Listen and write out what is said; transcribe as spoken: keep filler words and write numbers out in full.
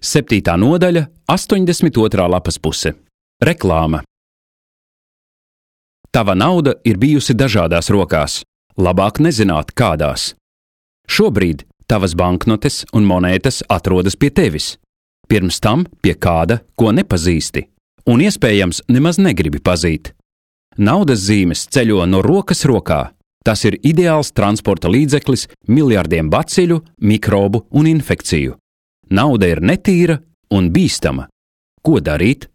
Septītā nodaļa, astoņdesmit otrā lapas puse. Reklāma. Tava nauda ir bijusi dažādās rokās, labāk nezināt kādās. Šobrīd tavas banknotes un monētas atrodas pie tevis, pirms tam pie kāda, ko nepazīsti, un iespējams nemaz negribi pazīt. Naudas zīmes ceļo no rokas rokā. Tas ir ideāls transporta līdzeklis miljardiem baciļu, mikrobu un infekciju. Nauda ir netīra un bīstama. Ko darīt?